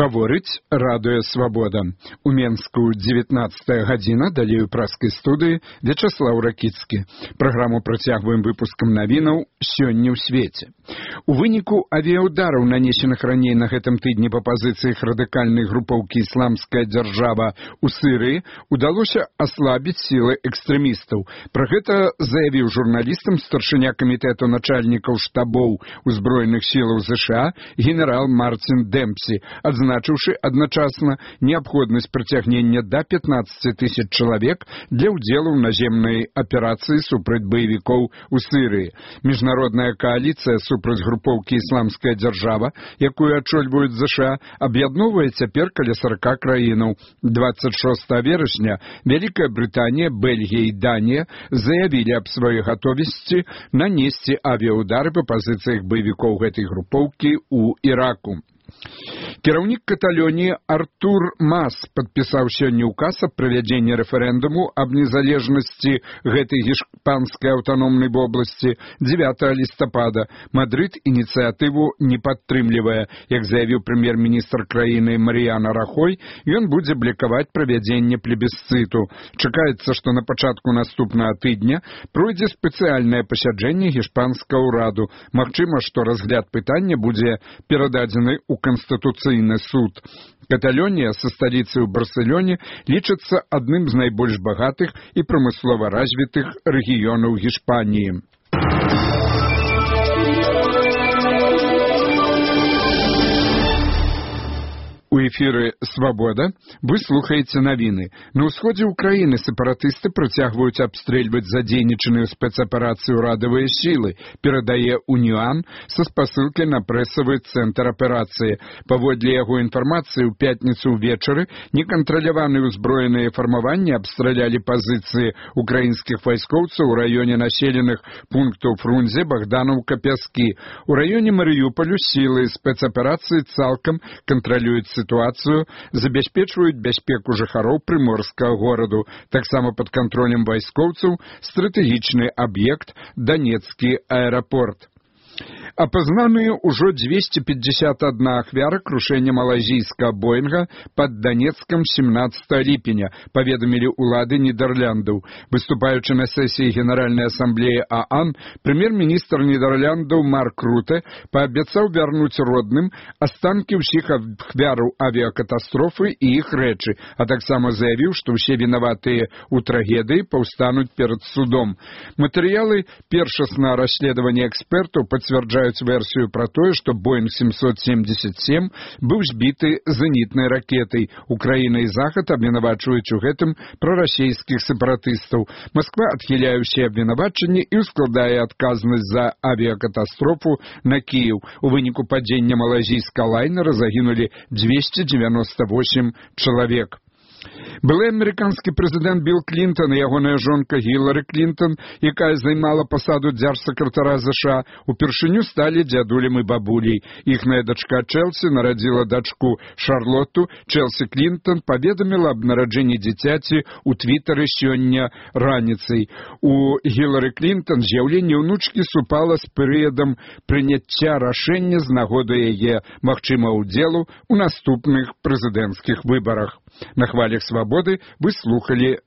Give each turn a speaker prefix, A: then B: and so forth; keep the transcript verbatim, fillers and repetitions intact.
A: Гаворыць радыё «Свабода». У Менску дзевятнаццатая гадзіна, далей у праскай студыі Вячаслаў Ракіцкі. Праграму працягваем выпускам навінаў «Сёння ў свеце». У выніку авіяудараў, нанесеных раней на гэтым тыдні па пазіцыях радыкальнай групоўкі «Ісламская дзяржава» у Сірыі, удалося аслабіць сілы экстрэмістаў. Пра гэта заявіў журналістам старшыня камітэту начальнікаў штабоў узброеных сілаў ЗША генерал Мартин Демпсі, адзначыўшы адначасна неабходнасць прыцягнення да пятнаццаці тысяч чалавек для ўдзелу ў наземнай аперацыі супраць баевікоў у Сірыі. Міжнародная кааліцыя супраць групоўкі «Ісламская дзяржава», якую ачольваюць ЗША, аб'ядноўвае цяпер каля сорока краінаў. двадцать шостого верасня Вялікая Брытанія, Бельгія і Данія заявілі аб сваёй гатовасці нанесці авіяудары па пазіцыях баевікоў гэтай групоўкі ў Іраку. Кіраўнік Каталоніі Артур Мас падпісаў сёння ўказ аб правядзенні рэферэндуму аб незалежнасці гэтай іспанскай аўтаномнай вобласці дзевятага лістапада. Мадрыд ініцыятыву не падтрымлівае. Як заявіў прэм'ер-міністр краіны Марыяна Рахой, ён будзе блакаваць правядзенне плебісцыту. Чакаецца, што на пачатку наступнага тыдня пройдзе спецыяльнае пасяджэнне іспанскага ўраду. Магчыма, што разгляд пытання будзе перададзены ў Конституцыйны суд. Каталонія са сталіцай у Барселоне лічыцца адным з найбольш багатых і прамыслова развітых рэгіёнаў Гішпаніі. У эфіры «Свабода» вы слухаеце навіны. На ўсходзе ўкраіны сепаратысты працягваюць абстрэльваць задзейнічаныя ў спецаперацыі ўрадавыя сілы, перадае «Уніан» са спасылкай на прэсавы цэнтр аперацыі. Паводле яго інфармацыі, у пятніцу ўвечары некантраляваныя ўзброеныя фармаванні абстралялі пазіцыі украінскіх вайскоўцаў у раёне населеных пунктаў Фрунзе, Богдановка, Пяскі. У раёне Марыюполю сілы спецаперацыі цалкам кантралююць сітуацыю, забяспечваюць бяспеку жыхароў прыморскага гораду. Таксама пад кантролем вайскоўцаў стратэгічны аб'ект Донецкі аэрапорт. Апазнаныя ўжо дзвесце пятьдесят одна ахвяра крушэння малайзійскага Боінга пад Донецкам семнадцатого ліпеня, паведамілі ўлады Нідерландаў. Выступаючы на сесіі Генеральнай асамблеі ААН, прэм'ер-міністр Нідерландаў Марк Руте паабяцаў вярнуць родным астанкі ўсіх ахвяраў авіякатастрофы і іх рэчы, а таксама заявіў, што ўсе вінаватыя ў трагедыі паўстануць перад судом. Матэрыялы першаснага расследавання экспертаў пацвярджаюць версію пра тое, што Боинг семьсот семьдесят семь быў збіты зенітнай ракетай. Украіна і Захад абвінавачваюць у гэтым прарасійскіх сепаратыстаў. Масква адхіляе ўсе абвінавачанні і ускладае адказнасць за авіякатастрофу на Кіеў. У выніку падзення малайзійскага лайнера загінулі двести девяносто восемь чалавек. Былы амерыканскі прэзідэнт Білл Клінтон і ягоная жонка Гілары Клінтон, якая займала пасаду дзяржсакратара ЗША, упершыню сталі дзядулем і бабуляй. Іхная дачка Чэлсі нарадзіла дачку Шарлотту. Чэлсі Клінтон паведаміла аб нараджэнні дзіцяці ў твітары сёння раніцай. У Гілары Клінтон з'яўленне ўнучкі супала з перыядам прыняцця рашэння з нагоды яе магчымага ўдзелу ў наступных прэзідэнцкіх выбарах. На хвалях «Свабоды» вы слухали